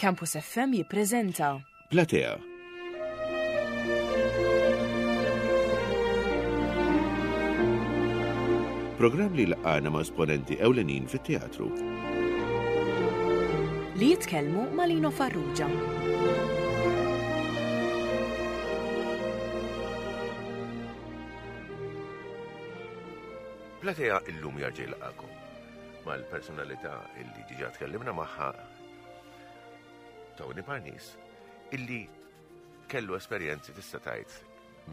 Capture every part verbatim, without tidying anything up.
Campus F M jippreżenta Platea. Programm li laqana ma' esponenti ewlenin fit-teatru. Li jitkellmu ma' Lino Farrugia. Platea illum jarġa' jilqakom mal-personalità illi diġà tkellimna magħha, Tony Parnis, illi kellu esperjenzi, tista' tgħid,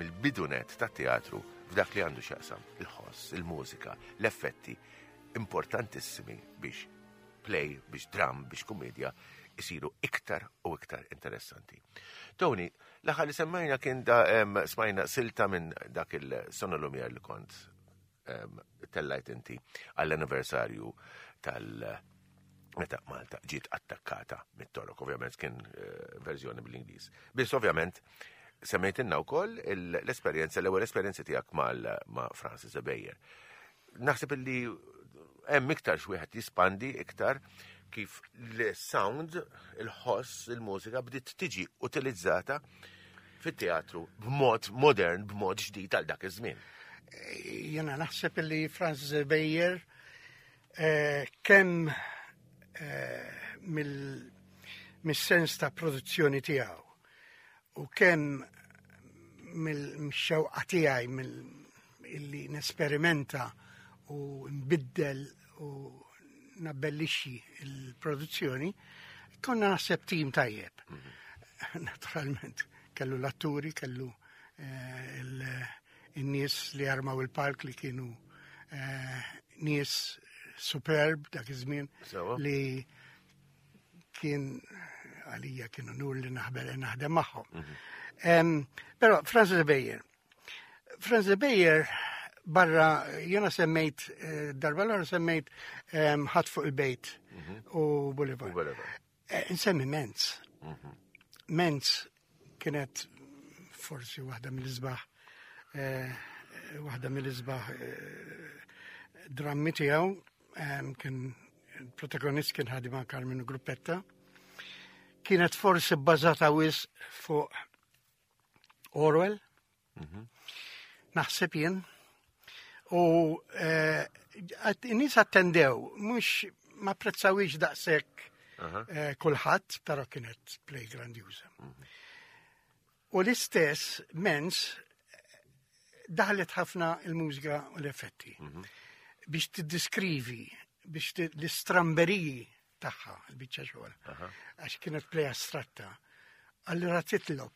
mill-bidunet tat-teatru f'dak li għandu x'jaqsam il-ħoss, il-mużika, l-effetti importantissimi biex play, biex dram, biex kumedja isiru iktar u iktar interessanti. Tony, l-aħħar li semmajna kien da em, smajna silta minn dak il-Sono Lumiere li kont em, tellajt inti għall-anniversarju tal- meta Malta ġiet attakkata mit-Torok, ovvjament kien eh, verżjoni bil-Ingliż. Biss ovvjament semmejtilna wkoll il- l-esperjenza, l-ewwel esperjenza tiegħek mal ma' Francis Ebejer. Naħseb illi hemm iktar x'wieħed jispandi iktar kif l-sound, il-ħoss, il-mużika bdiet tiġi utilizzata fit-teatru b'mod modern, b'mod ġdid għal dak iż-żmien. Jena naħseb li Francis Ebejer eh, kemm eh, mill- mis-sens ta' produzzjoni tiegħu u kemm mill-xewqa tiegħi mill illi nesperimenta u nbiddel u nabbellixxi il-produzzjoni, konna naħseb tim tajjeb. Naturalment, kellu l-atturi, kellu eh, il- in-nies li armaw il-palk li kienu eh, nies superb dak iż-żmien Sewa. li kien għalija kienu unur li naħbel naħdem magħhom. Em, Però Francis Ebejer, Francis Ebejer barra jena semmejt eh, darba l semmejt em, Ħadd fuq il-bejt u Boulevard. U Boulevard. Eh, Nsemmi Menz. Menz kienet forsi waħda mill-isbaħ eh, waħda mill-isbaħ eh, drammi tiegħu em, kien il-protagonist kien ħadima Carmine Gruppetta. Kienet forsi bbażata wisq fuq Orwell. Naħseb jien. U eh, għat- in-nies attendew, mhux ma apprezzawix daqshekk eh, kulħadd, però kienet play grandjuża. U l-istess Menz daħlet ħafna il-mużika u l-effetti. Biex tiddiskrivi, biex ti- l-istramberiji tagħha, il-biċċa xogħol. Għax kienet play astratta. Allura titlob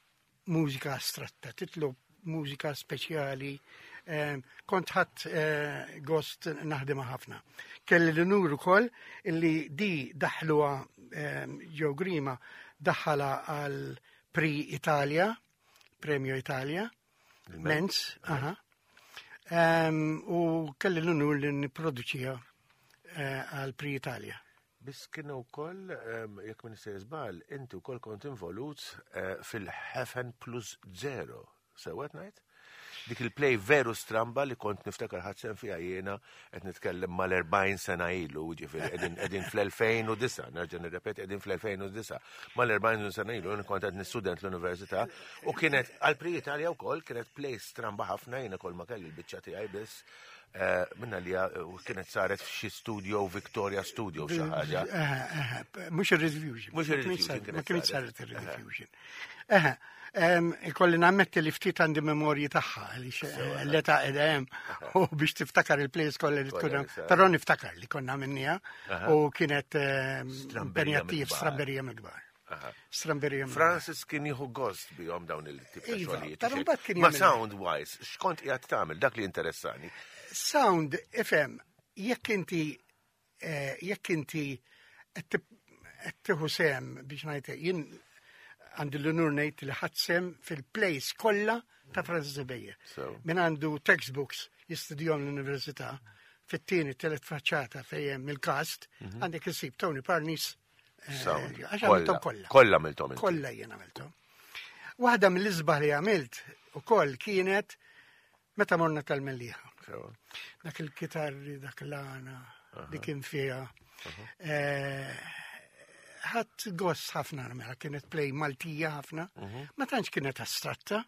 mużika astratta, titlob mużika speċjali. Eh, kont ħadt eh, gost naħdimha ħafna. Kelli l-unur ukoll illi di daħluha eh, Joe Grima daħħala għal Prix Italia, Premio Italia, Menz, aha. Em, u kelli l-unur li niproduċija eh, għal Prix Italia. Biss kienu wkoll, em, jekk minn se żball, inti wkoll kont involut eh, fil-Heaven Plus Zero. Sewwa ngħid? Dik il-play veru stramba li kont niftakar ħadt sehem fiha jiena, qed nitkellem mal-erbgħin sena ilu, ġifieri qegħdin qegħdin fl-elfejn u disgħa, nerġa' nirrepeti, qegħdin fl-elfejn u disgħa, mal-erbgħin sena ilu, jien kont qed nistudent l-università u kienet għal Prix Italia wkoll, kienet play stramba ħafna, jiena kol ma kelli l-biċċa tiegħi biss eh, minna li u kienet saret f'xi studio, Victoria Studio, xi ħaġa. Mhux ir-Rediffusion. Mhux ir-Rediffusion kienet Ma kienet saret. saret ir-Rediffusion. Eħe, em, ikolli nammetti li ftit għandi memorji tagħha għaliex eh, l-età qiegħda hemm u biex tiftakar il-plays kollha li tkun Kollha hemm. li saret. Però niftakar li konna minnija u kienet em, Stramberija impenjattiv, mill-kbar. stramberija mill-kbar. Aha. Stramberija mill-kbar. Francis kien jieħu gost bihom dawn il-tip ta' Iva, xogħlijiet. però mbagħad kien Ma jagħmel- sound wise, x'kont qiegħed tagħmel, dak li interessani? Sound, ifhem, jekk inti eh, jekk inti qed tib- qed tieħu sehem, biex ngħid, jien għandi l-unur ngħid li ħadt sehem fil-plays kollha ta' Francis Ebejer. So. Min għandu textbooks jistudjom l-università, fit-tieni telet faċċata fejn hemm il-cast, għandek isib Tony Parnis. eh, Sound. Għax għamilthom kollha. Kollha għamilthom inti. Kollha jien għamilthom. Waħda mill-isbaħ li għamilt ukoll kienet meta morna tal-Mellieħa. Sewa. Dak il-kitarri, dak l-għana li kien fiha. Eh, Ħadt gost ħafna mela kienet play Maltija ħafna, ma tantx kienet astratta.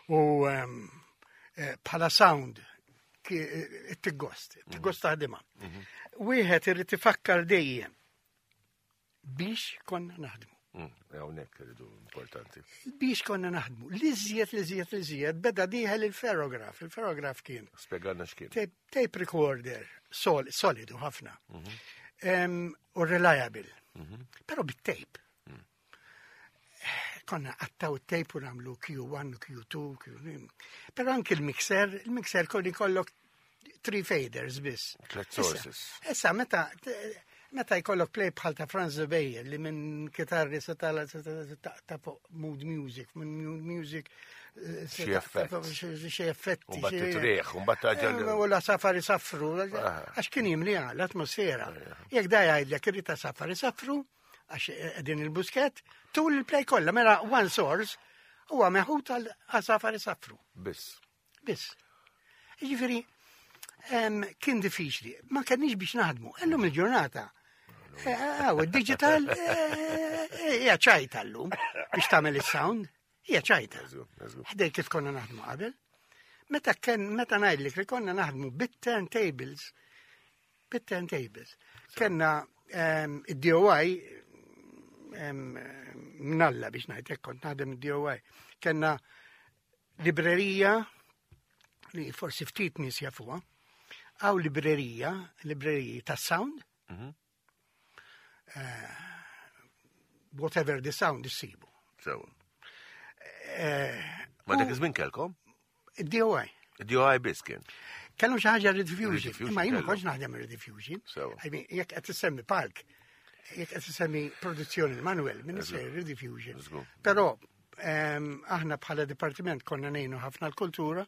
U em, eh, bħala sound it-gost, it-gost taħdimha. Wieħed irid ifakkar dejjem biex konna naħdmu. Mm, hawnhekk irridu importanti. Biex konna naħdmu. L-iżjed, l-iżjed, l-iżjed, beda dieħel il-ferrograf. Il-ferrograf kien Spjegalna x'kien. tape, tape recorder, sol, solidu ħafna. Em, U reliable. Pero bit-tape. Konna għattaw tape u nagħmlu Q one, Q two, Q three. Pero anki il-mixer, il-mixer kolli kollok three faders biss. Tlet Issa- sources. Issa, meta, meta jkollok play bħal ta' Franz Beyer li minn kitarri se tala ta' ta' fuq mood music, minn mood music eh, se Xi ta' effett. fuq xi xi effetti. U mbagħad xi- titrieħ, u mbagħad taġel. Eh, U l-għasafar isaffru, Ah. għax kien jimli l-atmosfera. Jekk da jgħidlek irrid għasafar isaffru, għax din il-Buskett, tul il-play kollha, mela one source, huwa meħud għal għasafar isaffru. Biss. Biss. Ġifieri, em, kien diffiċli, ma kenniex biex naħdmu. Illum il-ġurnata. Għaw, il-digital hija ċajta llum biex tagħmel is-sound, hija ċajta. Eżgu, eżgu. Ħdej kif konna naħdmu qabel. Meta kien meta ngħidlek li konna naħdmu bit-turntables, bit-turntables. Kenna em, id-D O I em, mnalla biex ngħidlek kont naħdem id-D O I. Kenna librerija li forsi ftit nies jafuha. Għaw librerija, libreriji ta' sound. Mhm. Eh, whatever the sound issibu. Sewa. Eh, Ma dak iż-żmien kellkom? D O I. D O I biss kien. Kellhom xi ħaġa Rediffusion. Rediffusion Imma jien ma kellhom. kontx naħdem Rediffusion. Sewa. I mean, jekk qed issemmi palk, jekk qed issemmi produzzjoni Manuel, minn isser Rediffusion. Żgur. Però em, aħna bħala dipartiment konna ngħinu ħafna l-kultura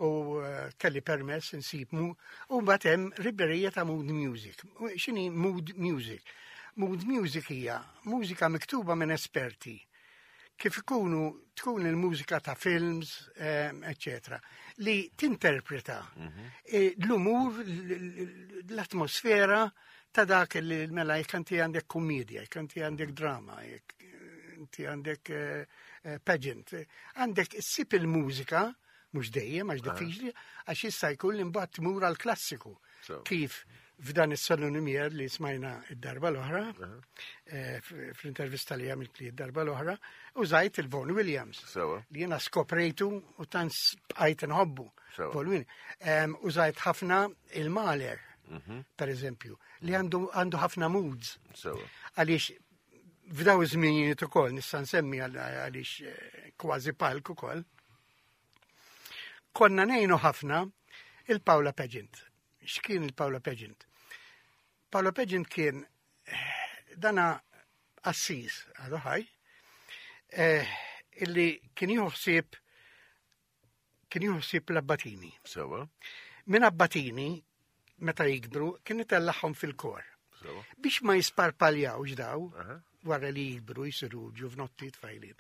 u eh, kelli permess insib mu u mbagħad hemm librerija ta' mood music. U x'inhi mood music? Mood music hija mużika miktuba minn esperti kif ikunu tkun il-mużika ta' films, eccetera, li tinterpreta eh, l-umur, l- l- l-atmosfera ta' dak li mela jekk inti għandek komedja, jekk inti għandek drama, jekk inti għandek eh, eh, pageant, għandek issib il-mużika, mhux dejjem, għax diffiċli, għax issa jkun li mbagħad tmur għal klassiku. So. Kif f'dan is-Salon Lumiere li smajna id-darba l-oħra, eh, f- fl-intervista li għamilt li id-darba l-oħra, użajt il-Vaughan Williams. Sewa. Li jena skoprejtu u tant bqajt nħobbu. Sewa. Vaughan Williams. Em, Użajt ħafna il-Mahler, per eżempju, li għandu għandu ħafna moods. Sewa. Għaliex f'daw iż-żminijiet ukoll nista' nsemmi għal- għaliex eh, kważi palk ukoll. Konna ngħinu ħafna il-Paola Pageant. X'kien il-Paola Pageant? Paola Pageant kien eh, dana qassis għadu ħaj, eh, illi kien jieħu ħsieb kien jieħu ħsieb l-abbatini. Sewa. Minn abbatini, meta jikbru, kien itellagħhom fil-kor. Sewa. Biex ma jisparpaljawx daw, Aha. wara li jikbru jisiru ġuvnotti tfajlin.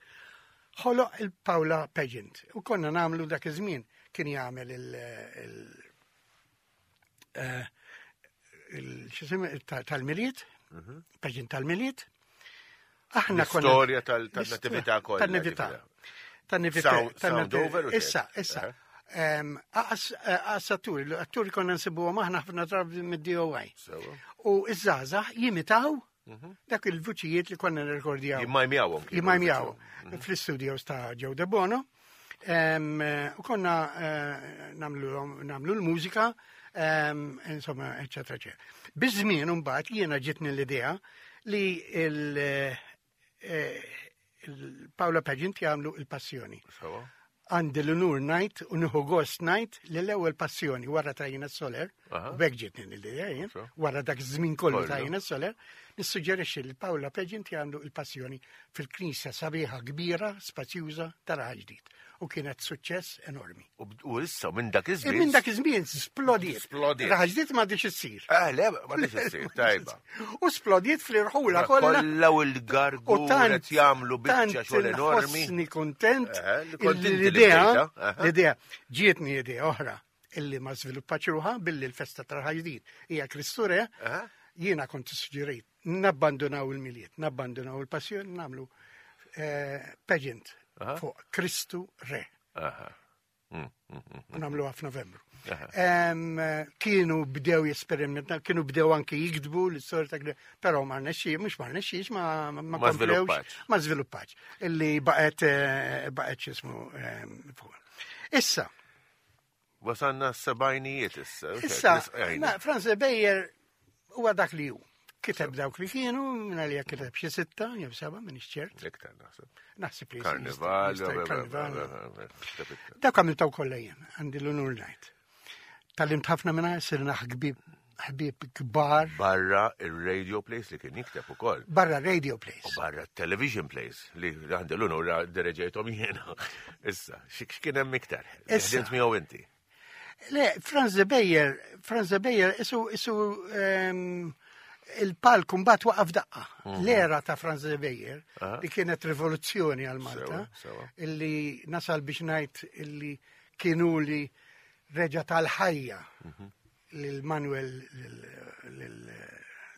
Ħoloq il-Paola Pageant. U konna nagħmlu dak iż-żmien kien jagħmel il- il- eh, il- x'isem- ta- tal-Milied, pageant tal-Milied. Aħna konna. L-istorja tal- tan-natività kollha, Tan-natività. ġifieri. Tan-natività. Sound- sound over u xejn? Issa, issa. Em, Aqas aqas atturi, l-atturi konna nsibuhom aħna ħafna drabi mid-D O I. Sewa. U iż-żgħażagħ jimitaw dak il-vuċijiet li konna nirrekordjaw. Jimmajmjawhom. kienu. Jimmajmjaw fl-studios ta' Joe De Bono. Em, eh, U konna eh, nagħmlu nagħmlu l-mużika, em, insomma, eccetera, eccetera. Biż-żmien mbagħad jiena ġitni l-idea li il- eh, il-Paola Pageant jagħmlu il-Passjoni. Sewa. Għandi l-unur ngħid u nieħu gost ngħid li l-ewwel Passjoni wara ta' Ina Soler, Aha. u b'hekk ġitni l-idea jien, So. wara dak iż-żmien kollu ta' Kollu. Ina Soler, nissuġġerixxi li Paola Pageant jagħmlu il-Passjoni fil-knisja sabiħa kbira, spazjuża ta' Raħal Ġdid. U kienet suċċess enormi. U u issa minn dak E iż-żmien. minn dak iż-żmien splodiet. Splodiet. Raħal Ġdid m'għadix issir. Ah, le, ma tix issir, tajba. U splodiet fl-irħula kollha. Kollha u l-gargu U tant qed jagħmlu biċċa tant xogħol enormi. Inħossni kontent Eh, li kont inti li l-idea, bdejta, aha. l-idea, ġietni idea oħra illi ma żviluppax ruħha billi l-festa ta' Raħal Ġdid hija Kristu Re, Aha. jiena kont suġġerejt Nabbandunaw il-Milied, nabbandunaw il-Passjoni, nagħmlu eh, pageant Aha. fuq Kristu Re. Aha. Mm, mm, mm. U nagħmluha f'Novembru. Aha. Em, Kienu bdew jesperimentaw, kienu bdew anki jiktbu l-istorja ta' Kri- però ma rnexxi, mhux ma rnexxix, ma ma Ma komplewx, żviluppax. ma żviluppax. Illi baqgħet eh, baqgħet x'ismu em, fuq. Issa, Wasanna s-sebgħinijiet issa. issa, Ejna. na, Franz Beyer huwa dak li hu. Kiteb dawk li kienu, minna li kiteb xi sitta, jew seba', minn ċert. Iktar naħseb. Naħseb li Karnival, jista' karnival. Dak għamiltaw kollha jien, għandi l-unur ngħid. Tgħallimt ħafna minna, sirna ħbieb ħbieb kbar Barra il-radio plays li kien jikteb ukoll. barra radio plays. U barra television plays li għandi l-unur ddireġejthom jiena. Issa, x'kien hemm iktar? Issa. Ħdimt miegħu inti. Le, Franz de Beyer, Franz de Beyer, isu, isu ehm, il-palk mbagħad waqaf daqqa. L-era ta' Franz de Beyer, Aha. li kienet rivoluzzjoni għal Malta, Sewa, sewa. illi nasal biex ngħid illi kienu li reġa tal-ħajja lil Manuel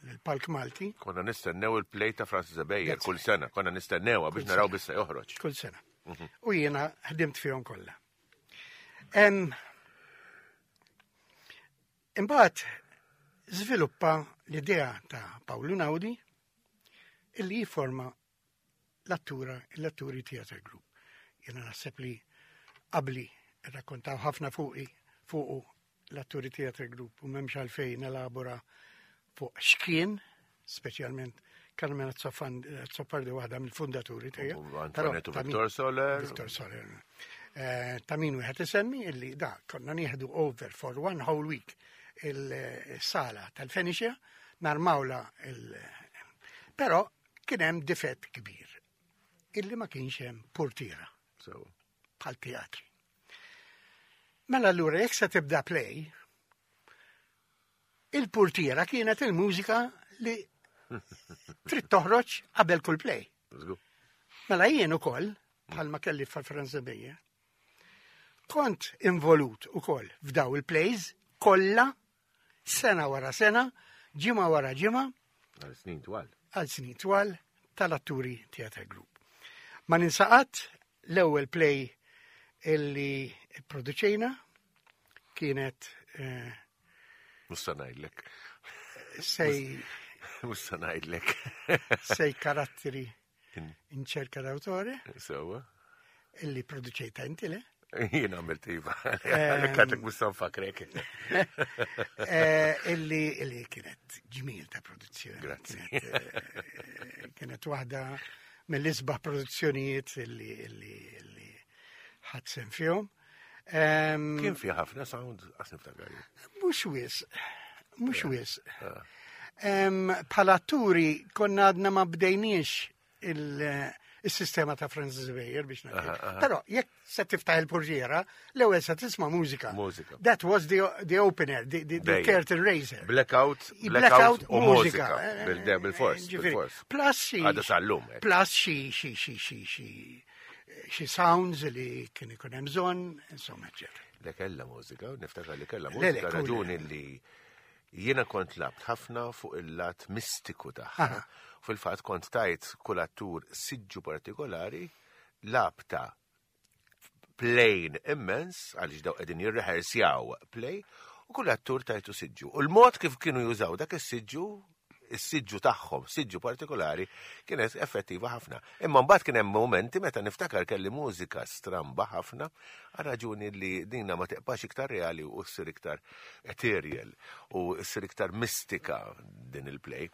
lil-Palk Malti Konna nistennew il-play ta' Francis Beyer That's kull sena, konna nistennewha biex naraw bissa joħroġ. kull sena. U jiena ħdimt fihom kollha. Em, Imbagħad żviluppa l-idea ta' Paolo Naudi illi jiforma l-attura, l-atturi Theatre Group. Jiena naħseb li qabli rrakkontaw ħafna fuqi fuqu l-atturi Theatre Group u m'hemmx għalfejn elabora fuq x'kien, speċjalment Carmen Azzopardi waħda mill-fundaturi tiegħu. U Antoinette u Victor Soler. Victor Soler. Eh, Ta' min wieħed isemmi illi da konna nieħdu over for one whole week il-sala tal-Fenicia, narmawla il- Però kien hemm difett kbir illi ma kienx hemm portiera So, bħal teatri. Mela allura jekk se tibda play, il-portiera kienet il-mużika li trid toħroġ qabel kull play. let's go. Mela jien ukoll, bħalma kelli fa' Beyer, kont involut ukoll f'daw il-plays kollha sena wara sena, ġimgħa wara ġimgħa, Għal snin twal. għal snin twal tal-atturi Theatre Group. Ma ninsa qatt l-ewwel play illi produċejna kienet eh, Musta ngħidlek. sei, Musta ngħidlek. sei caratteri in cerca d'autore Sewa. illi produċejta inti le? Jien għamilt iva. Għalhekk għadek musta nfakrek. Eh, illi illi kienet ġmil ta' produzzjoni. Grazzi. Kienet, eh, Kienet waħda mill-isbaħ produzzjonijiet illi illi illi ħadt sehem fihom. Em, Kien fi ħafna sound għas niftakar. Mhux wisq, mhux wisq. Em, Bħala atturi konna għadna ma bdejniex il- il-sistema ta' Francis Weyer biex ngħid. Però jekk se tiftaħ il-portiera, l-ewwel se tisma' mużika. Mużika. That was the, the opener, the, the, the Dejjem. curtain raiser. Blackout, Blackout blackout u mużika. mużika. Bil- Bil-fors, Ġifieri, bil-fors. Plus xi. Għadu sal-lum, hekk. Plus xi xi xi xi xi xi sounds li kien ikun hemm bżonn, insomma, eccetera. Le kella mużika, niftakar li kella Le, le, mużika, kull- raġuni li jiena kont labt ħafna fuq il-lat mistiku tagħha. Fil-fatt kont tajt kull attur siġġu partikolari labta plane immens, għaliex daw qegħdin jirrehearsjaw play, u kull attur tajtu siġġu. U l-mod kif kienu jużaw dak is-siġġu, is-siġġu tagħhom, siġġu partikolari, kienet effettiva ħafna. Imma mbagħad kien hemm momenti meta niftakar kelli mużika stramba ħafna, għal raġuni li dinna ma teqpax iktar reali u ssir iktar ethereal u ssir iktar mistika din il-play.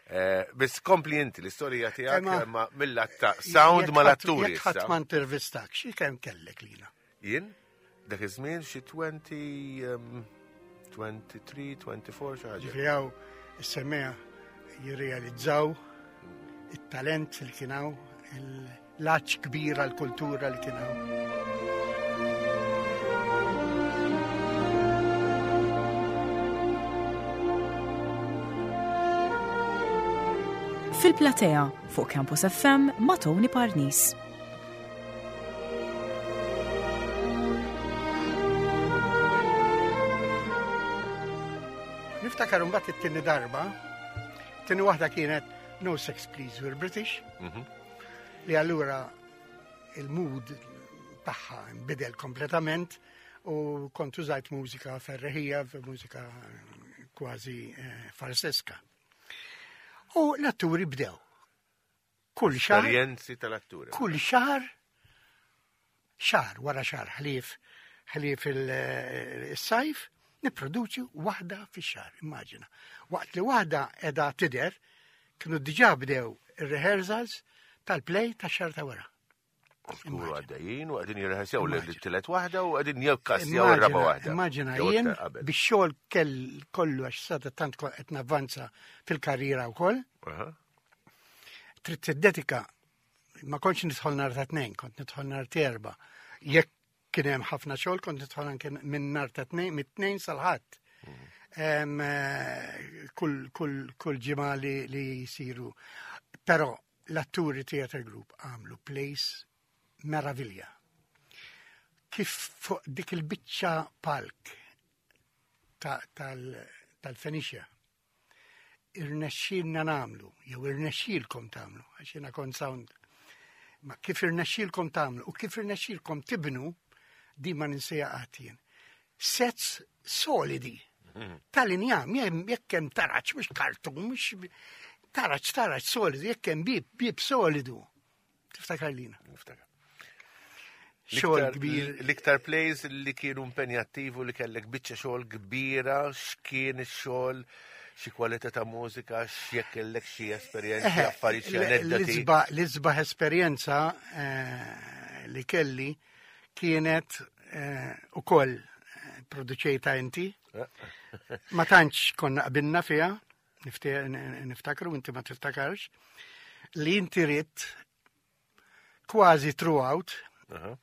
Eh, Biss kompli inti l-istorja tiegħek Imma- imma mill-lat ta' sound Jekk mal-atturi. ħadd- Jekk ħadd issa. ma intervistak, xi kemm kellek lina? Jien, dak iż-żmien xi twenty, um, twenty-three, twenty-four xi ħaġa. Ġifieri hawn is-semmiegħa jirrealizzaw it-talent li kien hawn, l-għatx kbir għall-kultura li kien hawn. Fil-platea fuq Campus F M ma' Tony Parnis. Niftakar mbagħad it-tieni darba Tieni waħda kienet No Sex Please, We're British, Mhm. li allura il-mood tagħha nbidel kompletament u kont użajt mużika ferreħija, mużika kważi eh, farseska. U l-atturi bdew. Kull xahar, Esperjenzi tal-atturi. Kull xahar, xahar wara xahar, ħlief ħlief il-sajf, niproduċi waħda fix-xahar, immaġina. Waqt li waħda edha tidher, kienu diġà bdew ir-rehearsals tal-play tax-xahar ta' wara. Skuru għaddejjin u qegħdin jirreħesjaw l-tielet waħda u qegħdin jikkassjaw ir-raba' waħda. Immaġina Jew jien iktar qabel. Bix-xogħol kell kollu, għax sada tant kont qed navvanza fil-karriera wkoll, Aha. trid tiddedika. Ma kontx nidħol nhar ta' Tnejn, kont nidħol nhar ta' Erbgħa. Jekk kien hemm ħafna xogħol, kont nidħol anke minn nhar ta' Tnejn, mit-Tnejn sal-Ħadd. Em, eh, Kull kull kull ġimgħa li, li jsiru. Però l-atturi Theatre Group għamlu plays meravilja. Kif fuq dik il-biċċa palk ta- tal- tal-Fenicia irnexxilna nagħmlu, jew irnexxilkom tagħmlu, għax jiena kont sound, ma kif irnexxilkom tagħmlu u kif irnexxilkom tibnu, di ma ninsieha qatt jien. Sets solidi tal-injam, jekk hemm taraċ, mhux kartun, mhux taraċ, taraċ solidu, jekk hemm bib, bib solidu. Tiftakar lina. Niftakar. Xogħol L-iktar- kbir. L-iktar plays li kienu impenjattivu, li kellek biċċa xogħol kbira, x'kien ix-xogħol, xi kwalità ta' mużika, x'jekk kellek xi esperjenzi, Eħe, affarijiet, xi l- aneddoti. l-isba- L-isbaħ esperjenza eh, li kelli kienet eh, ukoll eh, produċejta inti. Ma tantx konna qbilna fiha, nifte- n- niftakru, inti ma tiftakarx, li inti ridt kważi throughout Aha.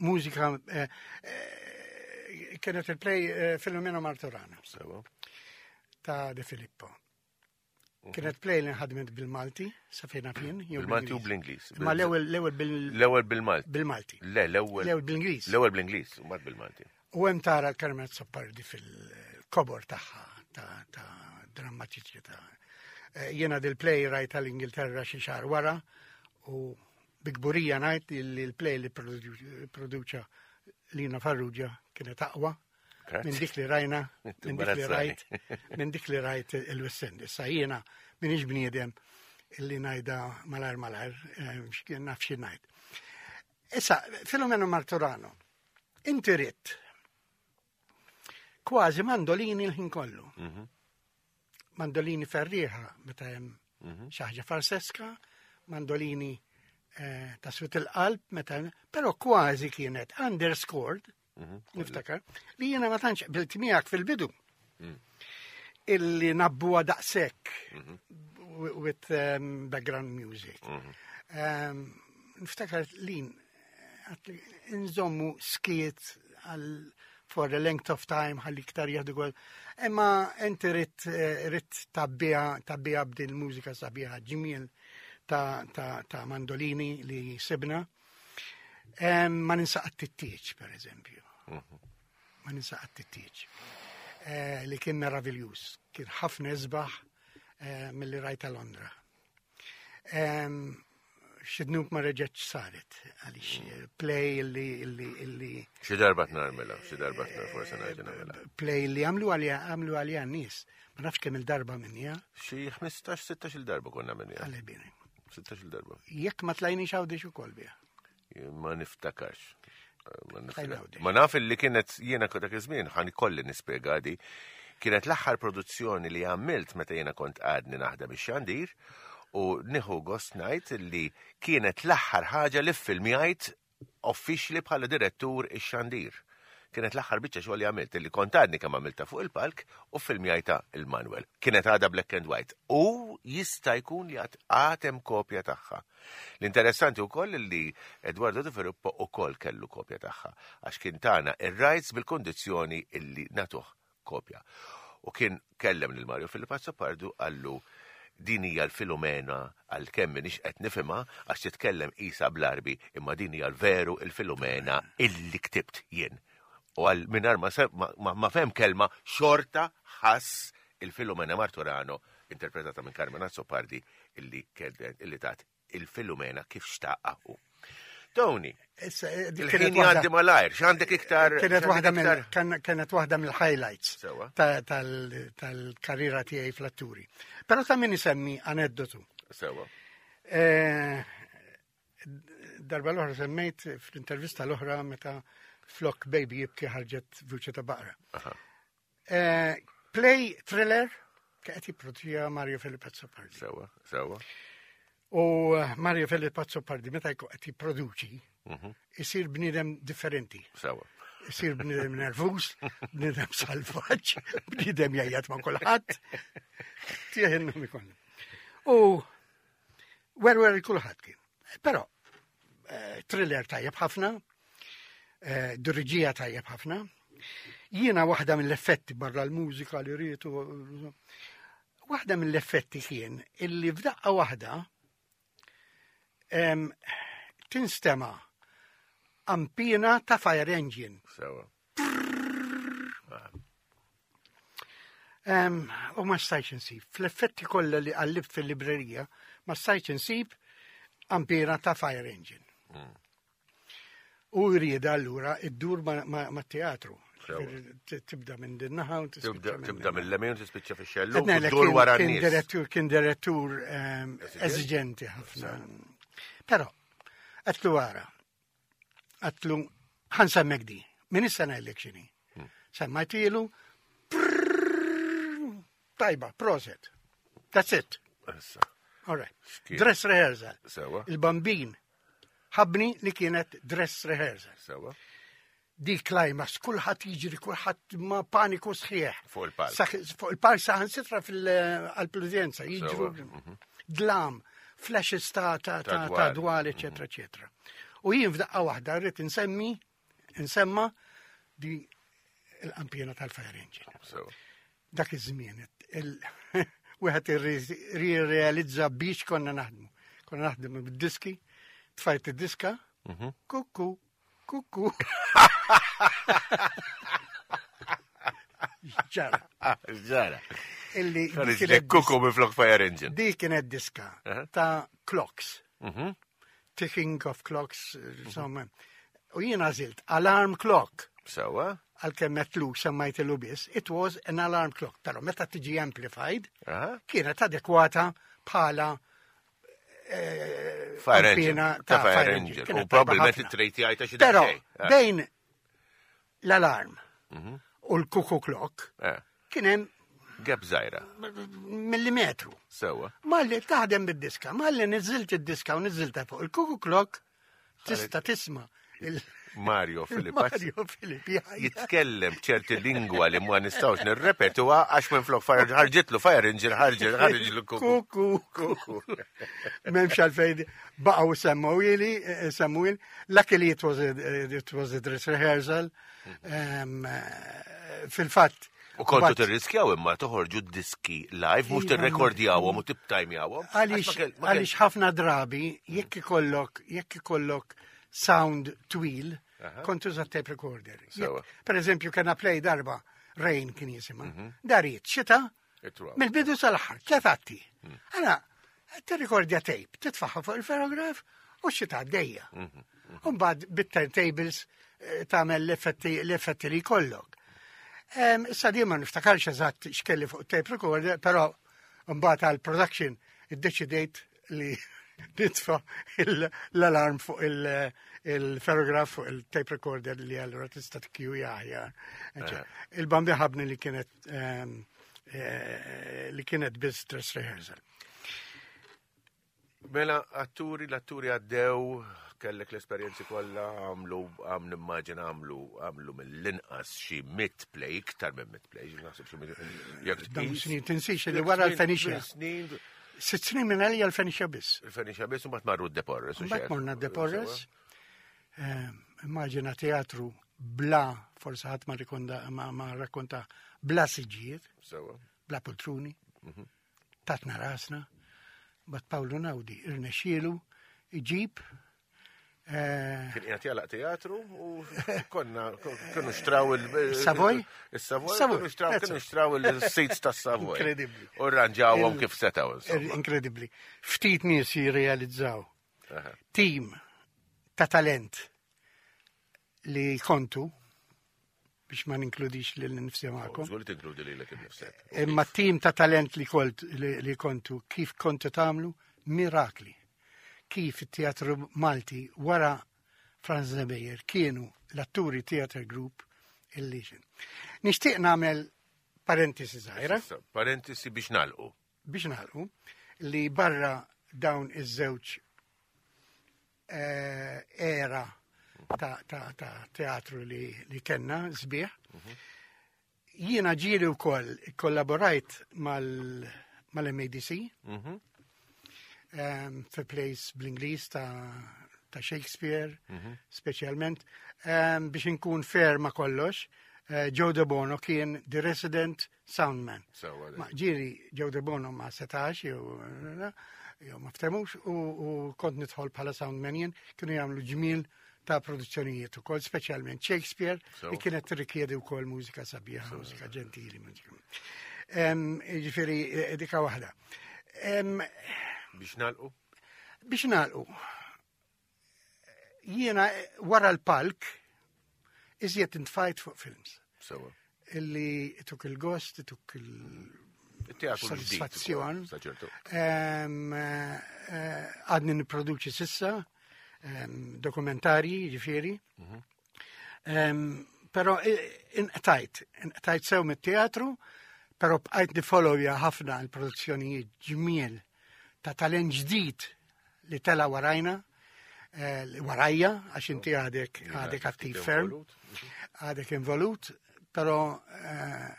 mużika, eh, eh, kienet il-play eh, Filomena Martorana Sewa. ta' De Filippo. Kienet play li nħadmet bil-Malti, sa fejna fien. Jew Bil-Malti u bl-Ingliż. Ma l-ewwel l-ewwel bil- L-ewwel bil-Malti. bil-Malti. Le, l-ewwel. L-ewwel bl-Ingliż. L-ewwel bl-Ingliż, u mbagħad bil-Malti. U hemm tara l-Carmen Azzopardi fil-kobor tagħha ta' ta' drammatiċità. Eh, Jiena dil-play rajta l-Ingilterra xi xahar wara u bi kburija ngħid li l-play li produ- produċa Lina Farrugia kienet aqwa Grazzi. minn dik li rajna, minn dik li Imbarazzani. rajt, minn dik li rajt il-West End. Issa jiena minix bniedem illi ngħidha malajr malajr, eh, x'kien naf xi ngħid. Issa, Filomeno Martorano, inti ridt kważi mandolini l-ħin kollu. Mhm. Mandolini ferrieħa meta hemm Mhm. xi ħaġa farseska, mandolini eh, ta' swit il-qalb meta, però kważi kienet underscored, Mhm. niftakar, li jiena ma tantx qbilt miegħek fil-bidu. Mm. Illi nabbuha daqshekk Mhm. with um, background music. Mhm. Um, niftakar lin għat- nżommu skiet għal for the length of time ħalli iktar jieħdu gol. Imma inti ridt eh, ridt tgħabbiha tgħabbiha b'din mużika sabiħa ġmiel ta', ta, ta' mandolini li sibna. Em, ma ninsa qatt it-tieġ, per eżempju. Ma ninsa qatt it-tieġ. Eh, li kien meraviljuż. Kien ħafna isbaħ eh, mill-li rajta Londra. Em, Xi dnub ma reġgħetx saret, għalix eh, play illi, illi, illi Xi darba tnarmela, xi darba tnar forse nerġa' nagħmilha. Play li għamlu għalija, għamlu għalija n-nies. Ma nafx kemm il-darba minnija, Xi ħmistax, sittax il darba konna minnija. Għalli bini. sittax il darba. Jekk ma tlajniex Għawdex ukoll biha. Ma niftakarx. Ma Tlajna niftakar. Għawdex. Ma naf li kienet jiena dak iż-żmien, ħan ikolli nispjega di. Kienet l-aħħar produzzjoni li għamilt meta jiena kont għadni naħdem ix-xandir u nieħu gost ngħid li kienet l-aħħar ħaġa li ffilmjajt uffiċjali bħala direttur ix-xandir. Kienet l-aħħar biċċa xogħol li għamilt, li kont għadni kemm għamilta fuq il-palk u filmjajta il-Manuel. Kienet għadha black and white. U jista' jkun li għad għad hemm kopja tagħha. L-interessanti wkoll li Eduardo De Filippo ukoll kellu kopja tagħha, għax kien tana ir-rights bil-kondizzjoni illi natuh kopja. U kien kellem lil Mario Philip Azzopardi, qallu din hija l-Filomena, għalkemm m'iniex qed nifhimha għax titkellem isa bl-Arbi, imma din hija l-veru il-Filomena illi ktibt jien. U għal mingħajr ma, se- ma, ma, ma fem kelma, xorta ħass il-Filomena Martorano. interpretata minn Carmen Azzopardi illi kienet illi tat il-Filumena kif xtaqha hu. Tony, Issa, eh, dik il-ħin kienet waħda- jgħaddi malajr, x'għandek iktar? Kienet x'għandek waħda mill iktar? kan- kienet waħda mill-highlights Sewa. ta- tal- tal-karriera tiegħi fl-atturi. Però ta' min isemmi aneddotu. Sewa. Eh, Darba l-oħra semmejt fl-intervista l-oħra meta flok baby jibki ħarġet vuċi ta' baqra. Aha. Eh, Play thriller qed jipproduċija Mario Felipe Azzopardi. Sewa, sewa. U eh, Mario Felipe Azzopardi meta jkun qed jipproduċi Mhm. isir bniedem differenti. Sewa. Isir bniedem nervus, bniedem salvaġġ, bniedem jgħajjat ma' kulħadd. Tieħ in-nomi kollha. U werwer kulħadd kien. Però eh, thriller tajjeb ħafna, eh, diriġija tajjeb ħafna. Jiena waħda mill-effetti barra l-mużika li rritu, waħda mill-effetti kien illi f'daqqa waħda em, tinstema ampina ta' fire engine. Sewa. Em, U ma stajtx insib. Fl-effetti kollha li qallibt fil-librerija, ma stajtx insib ampina ta' fire engine. U jrieda allura iddur ma, ma, ma teatru. Sewa. Tibda minn din naħa u Tibda tispiċċa minn tibda din mill-lemin u tispiċċa fix-xellu, Qed ngħidlek u ddur kien- wara Kien n-nies. direttur, kien direttur ehm, eżiġenti ħafna. Però, għedtlu wara, għedtlu, ħa nsemmek di, min issa ngħidlek x'inhi. Hmm. Semmajtilu, prrrr, tajba, proset. That's it. Issa, All right. X'kien? Dress rehearsal. Sewa. Il-bambin ħabni li kienet dress rehearsal. Sewa. Di climax, kulħadd jiġri, kulħadd ma paniku sħiħ. Fuq il-palk. Saħ- Fuq il-palk saħansitra fil-udjenza, jiġru Sewa, dlam, flashes ta' ta' Ta' ta' dwal. ta' dwal, eccetera, eccetera. U jien f'daqqa waħda rrid insemmi, insemma di l-qampina tal-fire engine. Sewa. Dak iż-żmien, il- wieħed irrealizza biex konna naħdmu. Konna naħdmu bid-diski, tfajt id-diska, kuku, kuku. Ġara. Ah, Ġara. Illi di Ħareġ kienet kuku minn flok fire engine. Di kienet diska Aha. ta' clocks. Mhm. Ticking of clocks, insomma. U jien għażilt alarm clock Sewa. għalkemm metlu semmajtilu biss, it was an alarm clock. Però meta tiġi amplified, Aha. kienet adekwata bħala eh, Fire engine. ampina Ta' fire engine. U Kienet tajba probabbilment ħafna. it-trejti għajta xi Però daqsxejn. Eh. bejn l-alarm u l-cuckoo clock Eh. kien hemm Gap żgħira. millimetru. Sewa. Malli taħdem bid-diska, malli niżilt id-diska u niżilta fuq il-cuckoo clock tista' tisma' il- Mario Filippazzi. Mario Filippi jgħajjat. Jitkellem b'ċerti lingwa li ma nistgħux nirrepetuha għax minn flok fire ħarġitlu fire engine ħarġet ħarġitlu kuku. Kuku, kuku. M'hemmx għalfejn baqgħu semmewhieli, eh, semmewhieli. Luckily it was a, it was a dress rehearsal. Um, eh, Fil-fatt. U kontu but- tirriskjaw imma toħorġu diski live mhux Iva, tirrekordjawhom u tibtajmjawhom. Għaliex għaliex ħafna drabi, jekk ikollok, jekk ikollok sound twil, kont tuża tape recorder. Sewa. Jekk, per eżempju, kena play darba, Rain kien jisimha, dariet, xita, mill-bidu sal-aħħar, tlet atti. Għana, tirrikordja tape, titfaħħa fuq il-ferograf u xita għaddejja. Umbagħad bit-turntables eh, tagħmel l-effetti l-effetti li jkollok. Em, Issa di ma niftakarx eżatt x'kelli fuq tape recorder, però mbagħad għal production iddeċidejt li nitfa il- l-alarm fuq il- il-ferograf fuq il-tape recorder li allura tista' tkju aħjar. Il-bambi ħabni li kienet em, eh, li kienet biss dress rehearsal. Mela, atturi, l-atturi għaddew, kellek l-esperjenzi kollha, għamlu, għam nimmaġina għamlu, għamlu mill-inqas xi mitt play, iktar minn mitt play, naħseb xi mitt. Jekk Dawn tqis- snin tinsix li jekk wara tmien- l-Fenicia. tmien Snin, Sitt snin minn għalija l-Fenicia biss. il-Fenicia biss u mbagħad marru d-Deporres. u Mbagħad xejn. morna Deporres. Immaġina teatru bla, forse ħadd ma rikonda ma, ma rakkonta bla siġijiet, Sewa. bla poltruni, tatna rasna, bat Paolo Naudi irnexxielu iġib Eh, Kien qiegħed jagħlaq teatru u konna kienu xtraw Savoy? Il-Savoy, Savoy, kienu xtraw that's kienu it. xtraw il-seats tas-Savoy. Incredibbli. U rranġawhom Il- kif setgħu insomma. Inkredibbli. Ftit nies jirrealizzaw Aha. team ta' talent li kontu biex ma ninkludix lil nifsi magħkom. Żgur li tinkludi lilek innifsek. Imma team ta' talent li, kolt, li, li kontu, kif kontu tagħmlu mirakli. Kif it-teatru Malti wara Franz Nebejer kienu l-atturi theater group illi xin. Nixtieq nagħmel parentesi żgħira Issa, Parentesi biex nagħlqu. biex nagħlqu li barra dawn iż-żewġ eh, era ta', ta, ta' teatru li, li kenna sbieħ. Jiena ġieli wkoll kollaborajt mal- mal-M A D C Mhm. um, fi plays bl-Ingliż ta', ta' Shakespeare, speċjalment, um, biex inkun fair ma' kollox, uh, Joe De Bono kien the resident soundman. Sewwa dik. Ma ġieli Joe De Bono ma setax jew jew ma ftemux u, u kont nidħol bħala soundman jien, kienu jagħmlu ġmiel ta' produzzjonijiet ukoll, speċjalment Shakespeare, Sew. li kienet tirrikjedi wkoll mużika sabiħa, mużika ġentili. Mużika. Em, Ġifieri, eh, dika waħda. Em, Biex nagħlqu? Biex nagħlqu, jiena eh, wara l-palk iżjed intfajt fuq films Sewwa. Illi tuk il-gost, tuk il- Il-teatru l-ġdid Soddisfazzjon. ukoll, sa ċertu. Em, eh, eh, Għadni niproduċi s'issa, em, dokumentarji, ġifieri. Em, Pero eh, inqtajt, inqtajt sew mit-teatru, pero bqajt nifollowja ħafna l-produzzjonijiet ġmiel ta' talent ġdid li tela warajna, eh, li warajja, għax inti għadek għadek attiv ferm, Involut. għadek involut, pero eh,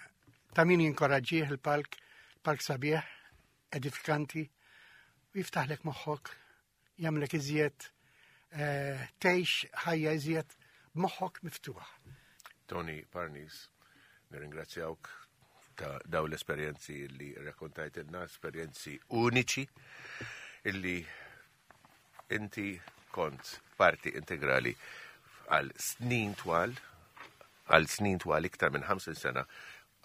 ta' min jinkoraġġih il-palk, palk sabiħ, edifikanti, u jiftaħlek moħħok, jagħmlek iżjed, eh, tgħix ħajja iżjed b'moħħok miftuħ. Tony Parnis, nirringrazzjawk ta' daw l-esperjenzi li rrakkontajtilna, esperjenzi uniċi illi inti kont parti integrali għal snin twal, għal snin twal iktar minn ħamsin sena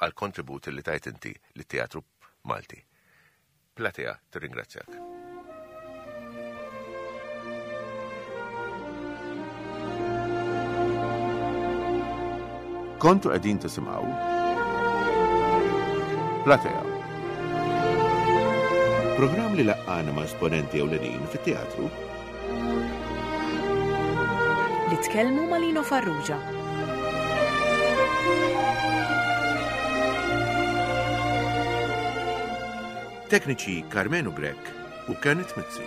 għal kontribut li tajt inti li teatru Malti. Platea, tirringrazzjak. Kontu qegħdin tisimgħu Platea. Programm li laqqana ma' esponenti ewlenin fit-teatru Li tkellmu ma' Lino Farrugia. Tekniċi Carmenu Grek u Kenneth Mizzi.